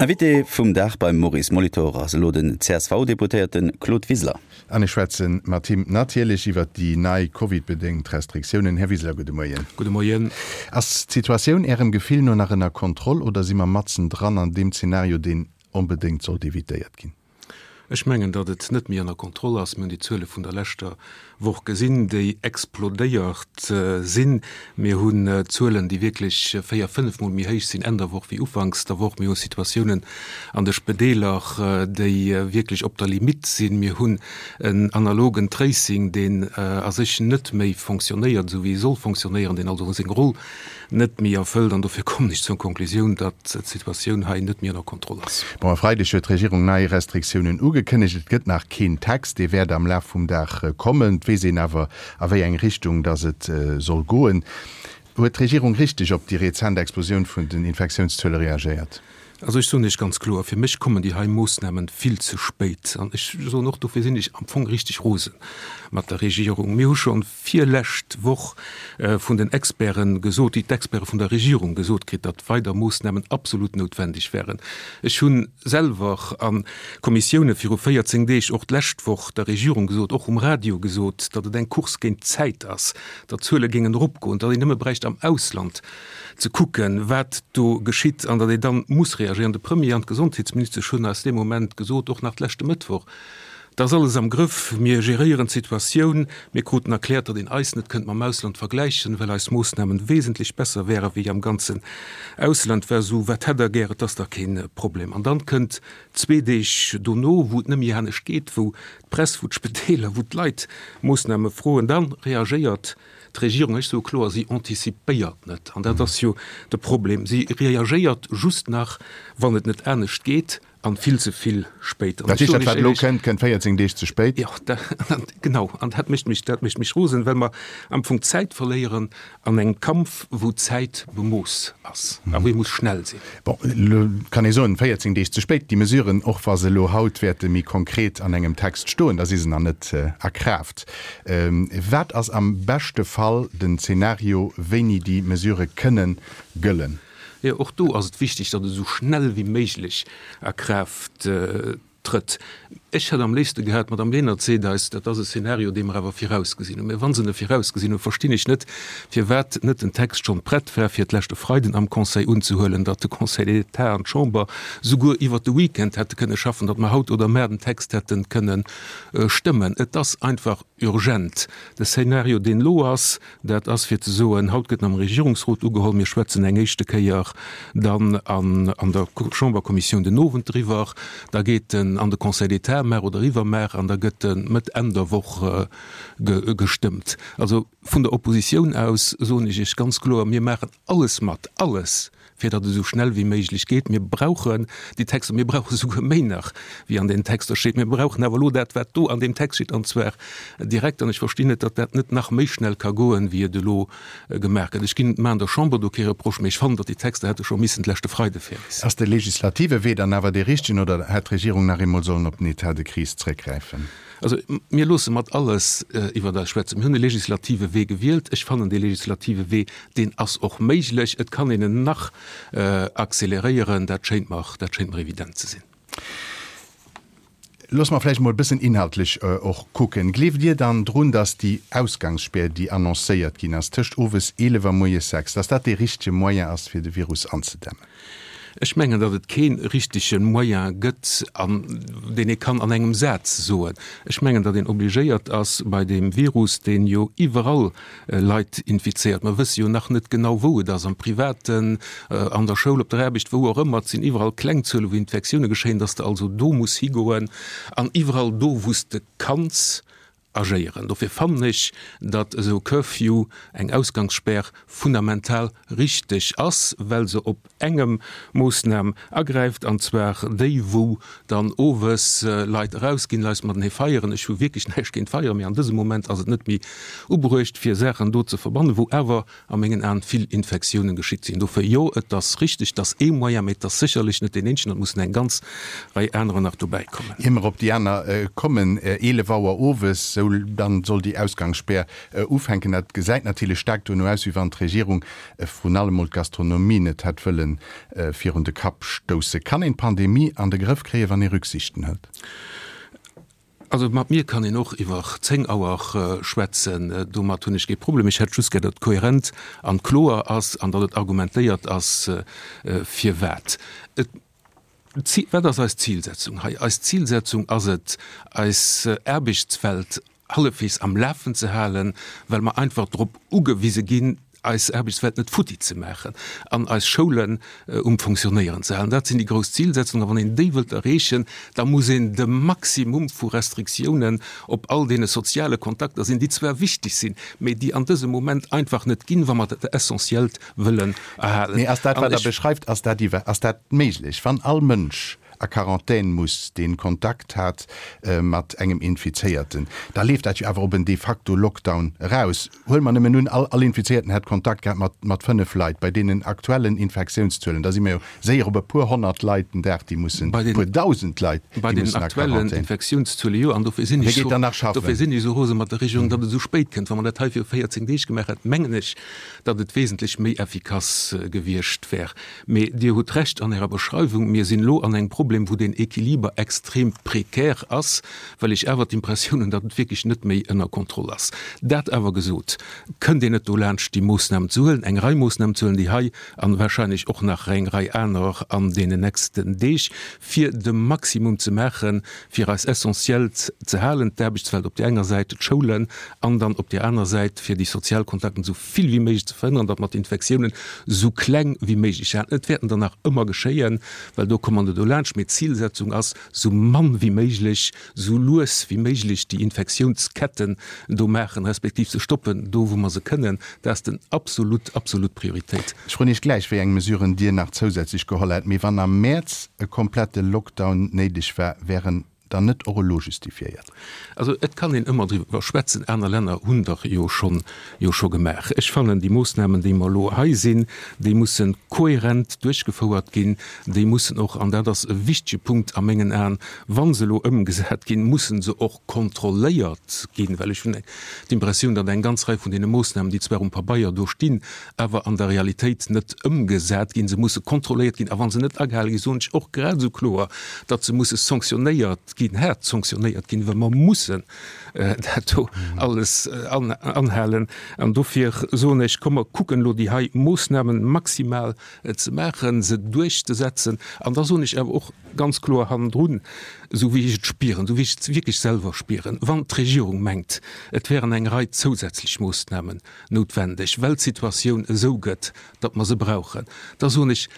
Invité vum Dag beim Maurice Molitor ass elo den CSV-Deputéierte Claude Wiseler. An ech schwätze mat him natierlech iwwert déi nei Covid-bedéngt Restriktiounen. Här Wiseler, gudde Moien. Gudde Moien. Ass d'Situatioun Ärem Gefill no nach ënner Kontroll oder si mer matzen dran an deem Zenario, deen onbedéngt sollt evitéiert ginn? Ech mengen, datt et net méi ënner Kontroll ass. Mir hunn déi Zuele vun der leschter Woch gesinn, déi explodéiert sinn. Mir hunn Zuelen, déi wierklech véier-, fënnefmol méi héich sinn Enn der Woch wéi ufanks der Woch. Mir hu Situatiounen an de Spedeeler, déi wierklech op der Limitt sinn. Mir hunn en analogen Tracing, deen a sech net méi fonctionnéiert, esou wéi e soll fonctionnéieren, deen also seng Roll net méi erfëllt an dofir kommen ech zur Konklusioun, datt d'Situatioun hei net méi ënner Kontroll ass. Bon, e Freideg huet d'Regierung nei Restriktiounen ugekënnegt. Et gëtt nach keen Text, dee wäert am Laf vum Dag kommen. Et weess een awer, a wéi eng Richtung datt et soll goen. Huet d'Regierung richteg op déi rezent Explosioun vun den Infektiounszuele reagéiert? Also ech soen Iech ganz kloer, fir mech kommen déi hei Moossnamen vill ze spéit. An ech soen och, dofir sinn ech am Fong richteg rose mat der Regierung. Mir hu scho virlescht Woch vun den Experten gesot, déi d'Experte vun der Regierung gesot kritt, datt weider Moossnamen absolut noutwendeg wären. Ech hu selwer a Kommissioune viru 14 Deeg, och d'lescht Woch, der Regierung gesot, och um Radio gesot, datt et eng Course géint d'Zäit ass, datt d'Zuele géingen eropgoen, datt een nëmme bräicht am Ausland ze kucken, wat do geschitt an datt ee dann muss reagéieren. De Premier an d'Gesondheetsministesch hunn eis dee Moment gesot, och nach d'leschte Mëttwoch, Et ass alles am Grëff, mir geréieren d'Situatioun. Mir kruten erkläert, datt een eis net kënnt mam Ausland vergläichen, well eis Moossnamen wesentlech besser wäre wéi am ganzen Ausland. War esou, wat hätt der gär, et ass dach keen Problem. An dann kënnt zwee Deeg dono, wou et net méi anescht geet, wou d'Press, wou d'Spedeeler, wou d'Leit Moossname froen, da reagéiert d'Regierung, ech soe kloer, si anticipéiert net. An dat ass jo de Problem, si reagéiert just nach, wann et net anescht geet. An vill ze vill spéit. Dat heescht, dat wat elo kënnt, kënnt 14 Deeg ze spéit? Jo, genau. An dat mécht mech, dat mécht mech rosen, well mer am Fong Zäit verléieren an engem Kampf, wou d'Zäit bemooss ass a wou ee muss schnell sinn. Bon, elo kann ee soen, 14 Deeg ze spéit. Déi Mesuren, och wa se elo haut wäerte méi konkret an engem Text stoen, da si se nach net a Kraaft. Wat ass am beschte Fall den Zeenario, wéini déi Mesurë kënnen gëllen? Jo, och do ass et wichteg, datt et esou schnell wéi méiglech a Kraaft trëtt. Ech hätt am léifste gehat, d'Madame Lenert seet eis, dat ass e Szenario, dee mer awer virausgesinn hunn. Mä wa se e virausgesinn hunn, verstinn ech net, firwat net den Text schonn prett war, fir d'leschte Freiden am Conseil unzehuelen, datt de Conseil d'État an d'Chamber souguer iwwert de Weekend hätte kënne schaffen, datt mer haut oder mar den Text hätte kënne stëmmen. Et ass einfach urgent. De Szenario, deen elo ass, Dat ass fir ze soen, haut gëtt en am Regierungsrot ugeholl, mir schwätzen eng éischte Kéier dann an der Chamberkommissioun den Owend driwwer, da geet en an de Conseil d'État mar oder iwwermar an da gëtt e Mëtt, Enn der Woch gestëmmt. Also vun der Oppositioun aus soen ech Iech ganz kloer, mir maachen alles mat, alles, fir datt et esou schnell wéi méiglech geet. Mir brauchen déi Texter, mir brauche souguer méi nach, wéi an deenen Texter steet. Mir brauchen awer elo dat, wat do an deem Text steet, an zwar direkt. An ech verstinn net, datt dat net nach méi schnell ka goen, wéi et elo gemaach gëtt. Ech ginn, maachen der Chamber do kee Reproche, mee ech fannen, datt déi Texter hätte scho missen d'leschte Freide fäerdeg sinn. Ass de legislative Wee dann awer dee richtegen oder hätt d'Regierung nach eemol sollen op den État de crise zréckgräifen? Also, mir loosse mat alles iwwert eis schwätzen. Mir hunn e legislative Wee gewielt. Ech fannen, dee legislative Wee, deen ass och méiglech. Et kann een en nach acceleréieren. Dat schéint mer, dat schéint mer evident ze sinn. Loosse mer vläicht emol e bëssen inhaltlech och kucken. Gleeft Dir dann drun, datt déi Ausgangsspär, déi annoncéiert ginn ass, tëscht owes 11 a moies 6, datt dat dee richtege Moyen ass, fir de Virus anzedämmen? Ech mengen, datt et kee richtege Moyen gëtt, an deen ee kann an engem Saz soen. Ech mengen, datt een obligéiert ass, bei deem Virus, deen jo iwwerall Leit infizéiert, mer wësse jo nach net genau, wou et ass, am Privaten, an der Schoul, op der Aarbecht, wou och ëmmer, et sinn iwwerall kleng Zuele wou Infektioune geschéien, datt s de also do muss higoen an iwwerall do, wou s de kanns, agéieren. Dofir fannen ech, datt esou e Curfew, eng Ausgangsspär, fundamental richteg ass, well se op engem Moossnam agräift, an zwar déi, wou dann owes Leit erausginn, Leit matenee feieren. Ech hu wierklech näischt géint Feieren, mee an dësem Moment ass et net méi ubruecht, fir Saachen do ze verbannen, wou awer a mengen Aen vill Infektiounen geschitt sinn. Dofir, jo, et ass richtig, et ass ee Moyen, mä et ass sécherlech net deen eenzegen, et mussen eng ganz Rei anerer nach dobäikommen. Ier mer op déi aner kommen, 11 Auer owes, esou. Esou dann soll déi Ausgangsspär ufänken. Dat gesäit natierlech staark dono aus, wéi wann d'Regierung vrun allem mol d'Gastronomie net hätt wëlle virun de Kapp stousse. Kann een d'Pandemie an de Grëff kréien, wann ee Rücksichten hëlt? Also mat mir kann een och iwwer 10 Auer schwätzen, domat hunn ech kee Problem. Ech hätt just gär, datt et kohärent an kloer ass an datt et argumentéiert ass, firwat. Et, wat ass eis Zilsetzung hei? Eis Zilsetzung ass et, eis Aarbechtswelt hallefweegs am Lafen ze halen, well mer einfach drop ugewise ginn, eis Aarbechtswelt net futti ze maachen an eis Schoulen um Fonctionnéieren ze halen. Dat sinn déi grouss Zilsetzungen. A wann een déi wëllt erreechen, da muss een de Maximum vu Restriktiounen op all deene soziale Kontakter sinn, déi zwar wichteg sinn, mee déi an dësem Moment einfach net ginn, wa mer dat Essentiellt wëllen erhalen. Mee ass dat, wat Der beschreift, ass dat iwwer, ass dat méiglech, wann all Mënsch a Quarantän muss, deen Kontakt hat mat engem Infizéierten, da leeft dat jo awer op en de facto Lockdown eraus. Huele mer nëmmen un, all all Infizéierten hätt Kontakt gehat mat mat 5 Leit. Bei deenen aktuellen Infektiounszuelen, da si mer jo séier op e puer honnert Leit den Dag, déi mussen, e puer dausend Leit, déi mussen a Quarantän. Bei den aktuellen Infektiounszuele jo, an dofir sinn ech sou, dofir sinn ech esou rose mat der Regierung, datt et esou spéit kënnt. Wa mer dat hei viru 14 Deeg gemaach hätten, mengen ech, datt et wesentlech méi effikass gewiescht wär. Mee Dir hutt Recht an Ärer Beschreiwung, mir sinn elo an engem Problem, wou deen Equiliber extrem prekär ass, well ech awer d'Impressioun hunn, datt et wierklech net méi ënner Kontroll ass. Dat awer gesot, kënnt een net dolaanscht, déi Moossnamen ze huelen, eng Rei Moossnamen ze huelen, déi hei an wahrscheinlech och nach eng Rei aner an deenen nächsten Deeg, fir de Maximum ze maachen, fir eis Essentiellt ze halen, d'Aarbechtswelt op där enger Säit, d'Schoulen an dann op där aner Säit, fir déi sozial Kontakten esou vill wéi méiglech ze verhënneren, datt mer d'Infektiounen esou kleng wéi méiglech halen. Et wäerten der nach ëmmer geschéien, well do komme mer net dolaanscht, mee d'Zilsetzung ass, esou mann wéi méiglech, esou lues wéi méiglech déi Infektiounsketten do maachen, respektiv se stoppen, do wou mer se kënnen. Dat ass den absolut, absolut Prioritéit. Ech froen Iech gläich, wéi eng Mesuren Dir nach zousätzlech geholl hätt. Mee wann am Mäerz e komplette Lockdown néideg war, wär en dann net och elo justifiéiert? Also et kann een ëmmer driwwer schwätzen, aner Länner hunn der jo schonn, jo scho gemaach. Ech fannen, déi Moossnamen, déi mer elo hei sinn, déi mussen kohärent duerchgefouert ginn. Déi mussen och, an dat ass e wichtege Punkt a mengen Aen, wa se elo ëmgesat ginn, mussen se och kontrolléiert ginn, well ech hunn d'Impressioun, datt eng ganz Rei vun deene Moossnamen, déi zwar um Pabeier do stinn, awer an der Realitéit net ëmgesat ginn. Se musse kontrolléiert ginn, a wa se net agehale ginn, soen ech och grad esou kloer, datt se musse sanktionéiert ginn, haart sanktionéiert ginn, well mer mussen dat do alles anhalen. An dofir soen ech, komm mer kucken elo déi hei Moossnamen maximal ze maachen, se duerchzesetzen. An da soen ech awer och ganz kloer hannendrun, esou wéi ech et spieren, esou wéi ech et wierklech selwer spieren, Wann d'Regierung mengt, et wären eng Rei zousätzlech Moossnamen noutwendeg, well d'Situatioun esou gëtt, datt mer se brauchen, da soen ech,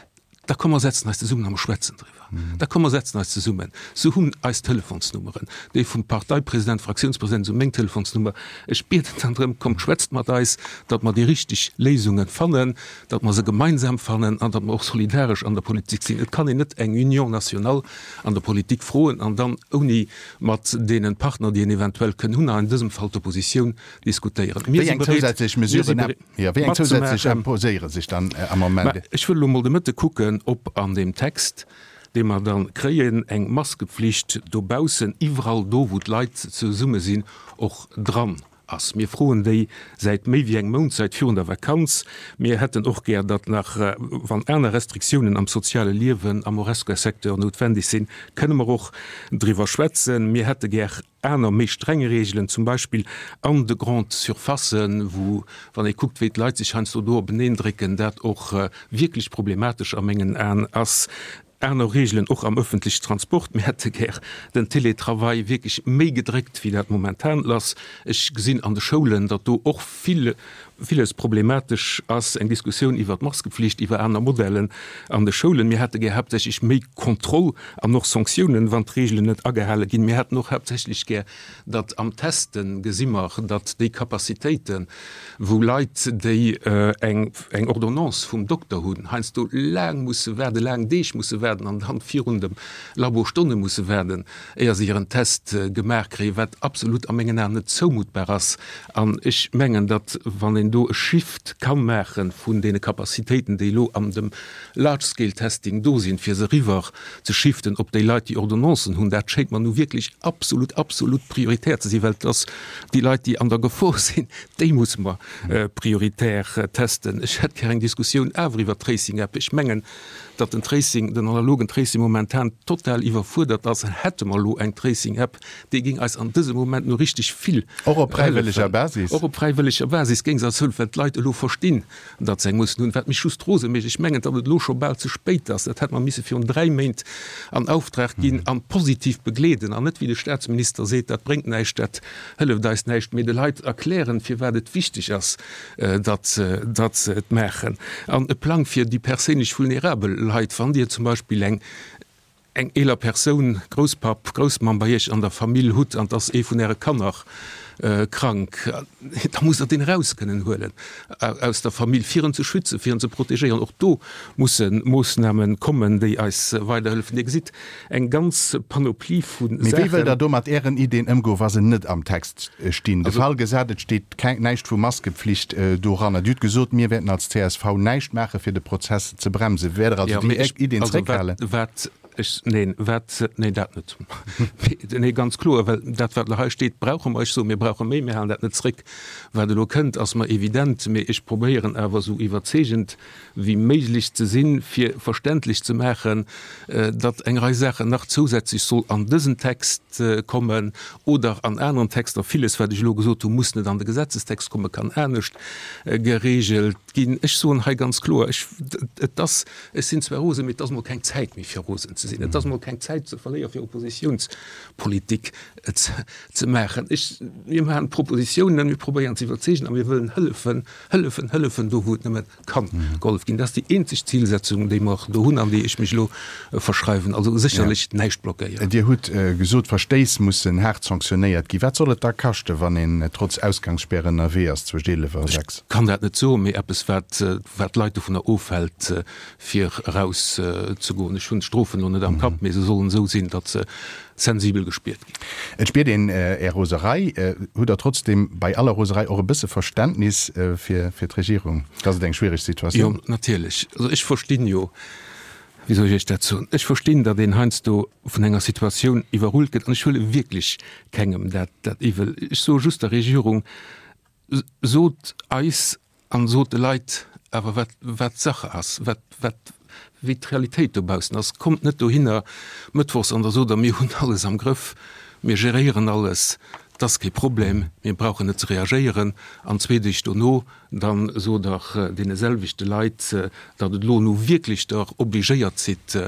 da komm mer setzen eis zesummen a mer schwätzen driwwer. Da komm mer setzen eis zesummen. Se hunn eis Telefonsnummeren, déi vum Parteipresident, Fraktiounspresident, se hu meng Telefonsnummer. Ech bieden dann drëm, kommt schwätzt mat eis, datt mer déi richteg Léisunge fannen, datt mer se gemeinsam fannen an datt mer och solidaresch an der Politik sinn. Et kann een net eng Union nationale an der Politik froen an dann ouni mat deene Partner, déi een eventuell kënn hunn, an dësem Fall d'Oppositioun, diskutéieren. Mir si bereet, mir si bereet Wéi eng zousätzlech imposéiere sech dann am Moment? Ech wëll elo mol de Mëtte kucken, ob an deem Text, dee mer da kréien, eng Maskepflicht dobaussen, iwwerall do, wou d'Leit zesumme sinn, och dran ass. Mir froen déi säit méi wéi engem Mount, säit virun der Vakanz. Mir hätten och gär, datt nach, wann aner Restriktiounen am soziale Liewen, am Horesca-Secteur noutwendeg sinn, kënne mer och driwwer schwätzen. Mir hätte gär aner méi streng Reegelen, zum Beispill an de Grandes Surfacen, wou, wann ee kuckt, wéi d'Leit sech heiansdo do openeen drécken, dat och wierklech problematesch a mengen Aen ass. Aner Reegelen och am öffentliche Transport. Mir hätte gär den Télétravail wierklech méi gedréckt, wéi dat momentan ass. Ech gesinn an de Schoulen, datt do och vill, villes problematesch ass, eng Diskussioun iwwert d'Maskepflicht, iwwer aner Modellen an de Schoulen. Mir hätte gär haaptsächlech méi Kontroll an och Sanktiounen, wann d'Reegelen net agehale ginn. Mir hätten och haaptsächlech gär, datt am Testen, gesi mer, datt déi Capacitéiten, wou Leit, déi eng eng Ordonnance vum Dokter hunn, heiansdo laang musse waarden, laang Deeg musse waarden. waarden an dann virun dem Labo Stonne musse waarden, éier se hiren Test gemaach kréien, wat absolut a mengen Aen net zoumuttbar ass. An ech mengen, datt, wann een do e Shift ka maache vun deene Capacitéiten, déi elo an dem Large-Scale-Testing do sinn, fir se eriwwer ze shiften op déi Leit, déi Ordonnancen hunn, dat schéngt mer nu wierklech absolut, absolut prioritär ze sinn, well et ass déi Leit, déi an der Gefor sinn, déi musse mer prioritär testen. Ech hätt gär eng Diskussioun awer iwwert d'Tracing-App. Ech mengen, datt den Tracing, den analogen Tracing momentan total iwwerfuerdert ass. Hätte mer elo eng Tracing-App, déi géing eis an dësem Moment nu richteg vill Och op fräiwëlleger hëllefen. Basis? Och op fräiwëlleger Basis géing se eis hëllefen, well d'Leit elo verstinn, datt se eng mussen hunn. Wat mech just rose mécht, ech mengen, datt et elo scho bal ze spéit ass. Dat hätt mer misse virun 3 Méint an Auftrag ginn an positiv begleeden an net, wéi de Statsminister seet, dat bréngt näischt, dat hëlleft eis näischt, mee de Leit erklären, firwat et wichteg ass, datt se et maachen. An e Plang fir déi perséinlech vulnerabel Leit, wann Dir zum Beispill eng eng eeler Persoun, Grousspapp, Groussmamm bei Iech an der Famill hutt an 't ass ee vun Äre Kanner krank, da musst Der deen eraus kënnen huelen aus der Famill, fir en ze schützen, fir en ze protegéieren. Och do musse Moossname kommen, déi eis weiderhëllefen. Dir gesitt, eng ganz Panoplie vu Saachen. Mee wéi wëllt Der do mat Ären Ideen ëmgoen, wa se net am Text stinn? De Fall gesat, et steet keng, näischt vu Maskepflicht doranner. Dir hutt gesot, mir wäerten als csv näischt maachen, fir de Prozess ze bremsen. Wäert Der also déi Ideen zréckhalen? Wat ech, neen, wat, neen, dat net. Nee, ganz kloer, well dat, wat elo hei steet, brauche mer. Ech soen, mir brauche méi, mir halen dat net zréck. Wat elo kënnt, ass mer evident, mee ech probéieren awer esou iwwerzeegend wéi méiglech ze sinn, fir verständlech ze maachen, datt eng Rei Saachen nach zousätzlech soll an dësen Text kommen oder an aneren Texter. Villes, wat ech elo gesot hunn, muss net an de Gesetzestext kommen, kann anescht geregelt ginn. Ech soen hei ganz kloer, ech, et ass, ech sinn zwar rosen, mee et ass emol keng Zäit méi fir rosen ze sinn. Et ass emol keng Zäit ze verléieren, fir Oppositionspolitik ze maachen. Ech, mir maachen Propositionen, mir probéieren ze iwwerzeegen a mir wëllen hëllefen, hëllefen, hëllefen do, wou et nëmme kann gehollef ginn. Dat ass déi eenzeg Zilsetzung, déi mer do hunn an déi ech mech elo verschreiwen. Also sécherlech näischt blockéieren. Dir hutt gesot, Verstéiss mussen haart sanktionéiert ginn. Wat soll et da kaschten, wann een trotz Ausgangsspäre ënnerwee ass zwëscht 11 a 6? Ech kann dat net soen, mee eppes, wat d'Leit dovunner ofhält, fir eraus ze goen. Ech hunn d'Strofen elo net am Kapp, mee se sollen esou sinn, datt se sensibel gespiert ginn. Et spiert een Är Roserei. Hutt Der trotzdem bei aller Roserei och e bësse Verständnis fir d'Regierung, dass et eng schwiereg Situatioun? Jo, natierlech. Also ech verstinn jo, wéi soll ech Iech dat soen, ech verstinn, datt een heiansdo vun enger Situatioun iwwerrullt gëtt an ech huele wierklech kengem dat iwwel. Ech soe just der Regierung, Sot eis an sot de Leit awer wat wat Sache ass, wat wat wéi d'Realitéit dobaussen ass. Kommt net dohinner mëttwochs an da sot der, mir hunn alles am Grëff, mir geréieren alles, 't ass kee Problem, mir brauchen net ze reagéieren. An zwee Deeg dono da sot der deene selwechte Leit, datt et elo nu wierklech der obligéiert sidd,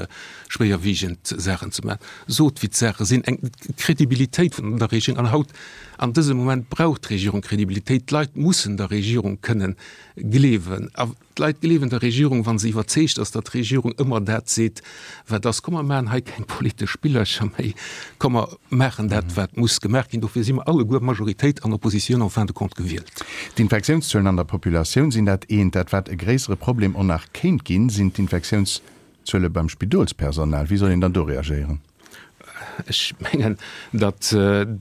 schwéierwiegend Saachen ze maachen. Sot, wéi d'Saache sinn. Eng Kredibilitéit vun der Regierung, an haut, an dësem Moment brauch d'Regierung Kredibilitéit. D'Leit mussen der Regierung kënnen gleewen. A d'Leit gleewen der Regierung, wa se iwwerzeegt ass, datt d'Regierung ëmmer dat seet, wat ass. Komm, mer maachen hei keng politesch Spillercher méi. Komm, mer maachen dat, wat muss gemaach ginn. Dofir si mer alleguer, Majoritéit an Oppositioun, en fin de compte gewielt. D'Infektiounszuelen an der Populatioun sinn dat eent. Dat wat e gréissere Problem och nach kéint ginn, sinn d'Infektiounszuele beim Spidolspersonal. Wéi soll een dann do reagéieren? Ech mengen, datt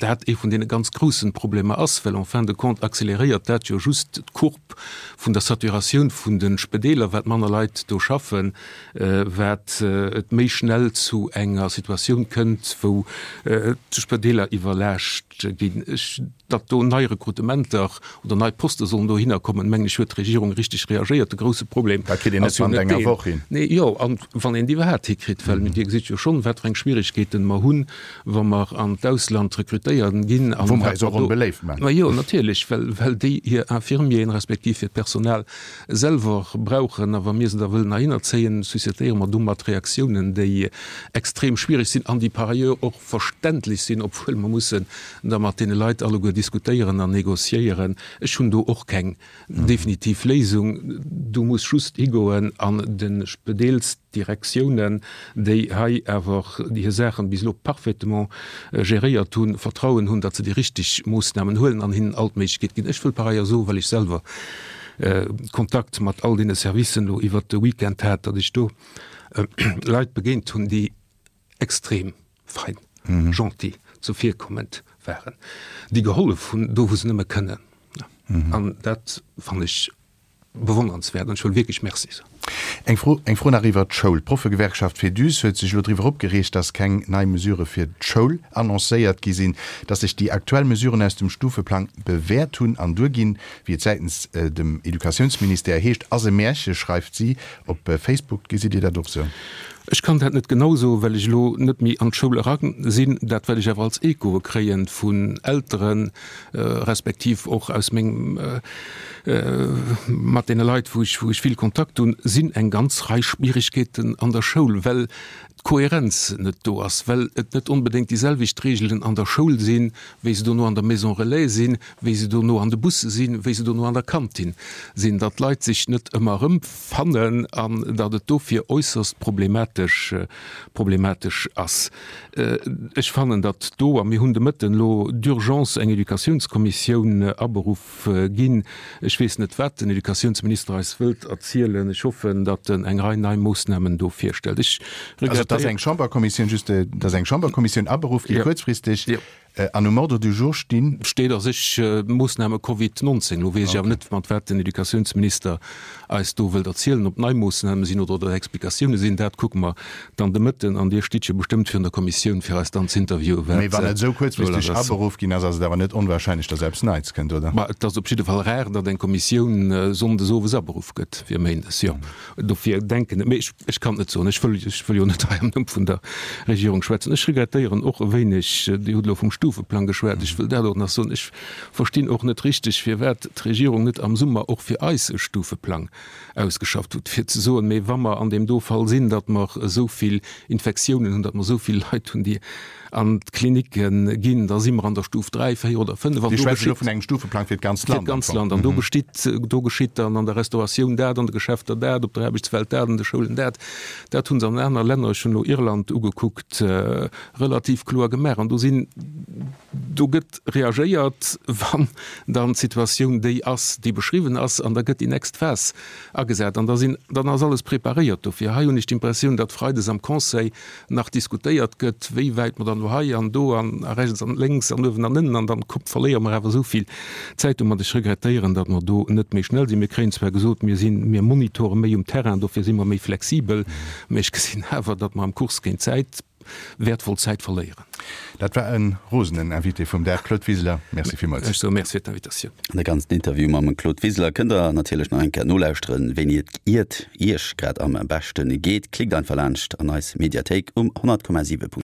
dat ee vun deene ganz groussen Problemer ass, well en fin de compte accéléréiert dat jo just d'Courbe vun der Saturatioun vun de Spedeeler, wat manner Leit do schaffen, wat et méi schnell zu enger Situatioun kënnt, wou d'Spedeeler iwwerlaascht ginn. Ech, datt do nei Rekrutementer oder nei Poste sollen dohinner kommen, mengen ech, huet d'Regierung richteg reagéiert. De grousse Problem Dat kritt een net ass jo bannent net enger deen, Woch hin. nee, jo, an wann een déi iwwerhaapt hikritt, well Dir gesitt jo schonn, wat fir eng Schwierigkeeten mer hunn, wa mer an d'Ausland rekrutéieren ginn an Wou mer eis och onbeléift maachen. Ma jo, natierlech, well, well déi hir Infirmieren respektiv hiert Personal selwer brauchen. A wa mir se da wëllen heihinner zéien, suscitéiere mer domat Reaktiounen, déi extrem schwierig sinn an déi par ailleurs och verständlech sinn, obwuel mer mussen da mat deene Leit alleguer diskutéieren an négociéieren. Ech hunn do och keng definitiv Léisung. Do muss just higoen an de Spedeelsdirektiounen, déi hei awer hir Saachen bis elo parfaitement geréiert hunn, Vertrauen hunn, datt se déi richteg Moossnamen huelen an hinnen all d'Méiglechkeet ginn. Ech wëll par ailleurs soen, well ech selwer Kontakt mat all deene Servicen elo iwwert de Weekend hat, datt ech do. Leit begéint hunn, déi extrem fein, gentil, zuvirkommend waren, déi gehollef hunn, do wou se nëmme kënnen. An dat fannen ech bewonnernswäert an ech wëll wierklech Merci soen. Eng Fro, eng Fro nach iwwert d'Schoul. D'Proffegewerkschaft Féduse huet sech elo driwwer opgereegt, datt keng nei Mesurë fir d'Schoul annoncéiert gi sinn, datt sech déi aktuell Mesuren aus dem Stufeplang bewäert hunn an duerginn, wéi et säitens dem Educatiounsministère heescht, ass e Märche, schreift si op Facebook. Gesitt Dir dat och sou? Ech kann dat net genau soen, well ech elo net méi an d'Schoul era sinn. Dat, wat ech awer als Echoe kréien vun Elteren, respektiv och aus mengem, mat deene Leit, wou ech, wou ech vill Kontakt hunn, sinn eng ganz Rei Schwierigkeeten an der Schoul, well d'Kohärenz net do ass, well et net onbedéngt déi selwecht Regeln an der Schoul sinn, wéi se dono an der Maison relais sinn, wéi se dono an de Busse sinn, wéi se dono an der Kantin sinn, datt d'Leit sech net ëmmer erëmfannen an datt et dofir äusserst problematesch, problematesch ass. Ech fannen, datt do, a mir hunn de Mëtten elo d'urgence eng Educatiounskommissioun aberuff ginn, ech weess net, wat den Educatiounsminister eis wëllt erzielen, ech hoffen, datt en eng Rei nei Moossnamen do virstellt. Ech Also et ass eng Chamberkommissioun, just, et ass eng Chamberkommissioun aberuff gi kuerzfristeg. An um Ordre du jour stinn? Steet a sech Moossname Covid 19. Elo weess ech awer net, mat wat den Educatiounsminister eis do wëllt erzielen, ob nei Moossname sinn oder ob dat Explikatioune sinn. Dat kucke mer dann de Mëtten. An Dir stitt jo bestëmmt virun der Kommissioun, fir eis dann z'interviewen, wat Mee wann et esou kuerzfristeg aberuff ginn ass, ass et awer net onwahrscheinlech, datt eppes Neits kënnt, oder? Ma et ass op jidde Fall rar, datt eng Kommissioun sonndes owes aberuff gëtt, fir méindes, jo. Dofir denken, mee ech, ech kann et net soen, ech wëll, ech wëll jo net hei am Numm vun der Regierung schwätzen. Ech regrettéieren och e wéineg, Dir hutt elo vum Stufeplang geschwat, ech wëll dat och nach soen, ech verstinn och net richteg, firwat d'Regierung net am Summer och fir eis e Stufeplang ausgeschafft hutt, fir ze soen, mee wa mer an deem do Fall sinn, datt mer esou vill Infektiounen hunn, datt mer esou vill Leit hunn, déi an d'Klinicke ginn, da si mer an der Stuf 3, 4 oder 5. An do geschitt elo vun engem Stufeplang fir d'ganzt Land. Fir d'ganzt Land. An do gestitt, do geschitt dann an der Restauratioun dat, an de Geschäfter dat, op der Aarbechtswelt dat, an de Schoulen dat. Dat hu se an aner Länner, ech hunn elo Irland ugekuckt, relativ kloer gemaach. An do sinn, do gëtt reagéiert, wann dann d'Situatioun déi ass, déi beschriwwen ass, an da gëtt déi nächst Phas agesat. An da sinn, dann ass alles preparéiert dofir. Hei hunn ech d'Impressioun, datt freides am Conseil nach diskutéiert gëtt, wéi wäit mer dann elo hei an do an a rechts an lénks an uewen an ënnen an dann kuckt, verléiere mer awer esou vill Zäit domat. Ech regrettéieren, datt mer do net méi schnell sinn. Mir kréien zwar gesot, mir sinn, mir monitore méi um Terrain, dofir si mer méi flexibel, mä ech gesinn awer, datt mer am Course géint d'Zäit wäertvoll Zäit verléieren. Dat war e rosenen Invité vum Dag, Claude Wiseler. Merci villmools. Ech soe Merci fir d'Invitatioun. De ganzen Interview mam Claude Wiseler kënnt der natierlech nach eng Kéier nolauschteren, wéini et iert Iech grad am beschten geet. Klickt einfach laanscht an eis Mediathéik um 100,7.